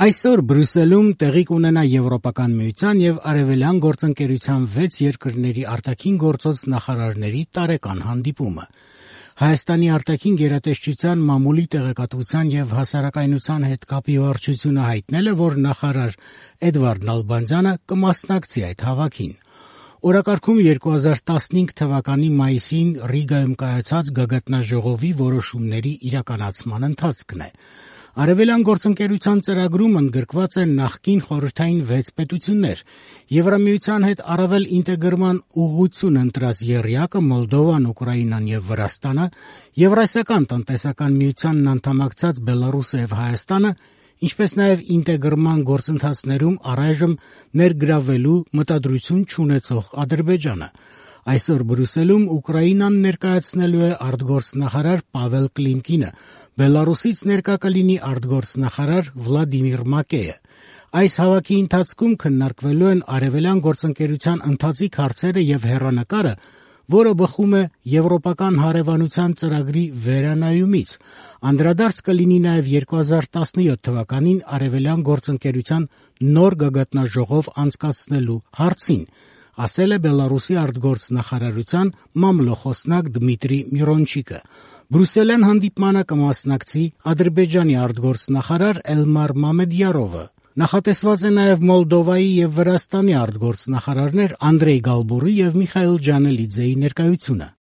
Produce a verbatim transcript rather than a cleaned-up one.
Այսօր Բրյուսելում տեղի կունենա Եվրոպական միության եւ Արևելյան գործընկերության վեց երկրների արտաքին գործոց նախարարների տարեկան հանդիպումը։ Հայաստանի արտաքին գերատեսչության մամուլի տեղեկատվության եւ հասարակայնության հետ կապի վարչությունը հայտնել է, որ նախարար Էդվարդ Նալբանդյանը կմասնակցի այդ հավաքին։ Օրակարգում երկու հազար տասնհինգ թվականի մայիսին Ռիգայում կայացած գագաթնաժողովի որոշումների իրականացման ընթացքն է։ Արևելյան գործընկերության ծրագրում ընդգրկված են նախկին խորհրդային վեց պետություններ, Եվրամիության հետ առավել ինտեգրման ուղղություն ընտրած եռյակը Մոլդովան, Ուկրաինան եւ Վրաստանը, Եվրասիական տնտեսական միությանն անդամակցած Բելարուսը եւ Հայաստանը, ինչպես նաեւ ինտեգրման գործընթացներում առայժմ ներգրավվելու մտադրություն չունեցող Ադրբեջանը։ Այսօր Բրյուսելում Ուկրաինան ներկայացնելու է արտգործնախարար Պավել Կլիմկինը, Բելարուսից ներկա կլինի արտգործնախարար Վլադիմիր Մակեյը։ Այս հավաքի ընթացքում քննարկվելու են արևելյան գործընկերության ընթացիկ հարցերը եւ հեռանկարը, որը բխում է Եվրոպական հարևանության ծրագրի վերանայումից։ Անդրադարձ կլինի նաեւ երկու հազար տասնյոթ թվականին արևելյան գործընկերության նոր գագաթնաժողով անցկացնելու հարցին, ասել է Բելարուսի արտգործնախարարության մամլոխոսնակ Դմիտրի Միրոնչիկը։ Բրյուսելյան հանդիպմանը կմասնակցի Ադրբեջանի արտգործնախարար Էլմար Մամեդյարովը։ Նախատեսված է նաև Մոլդովայի եւ Վրաստանի արտգործնախարարներ Անդրեյ Գալբուրի եւ Միխայիլ Ջանելիձեի ներկայությունը։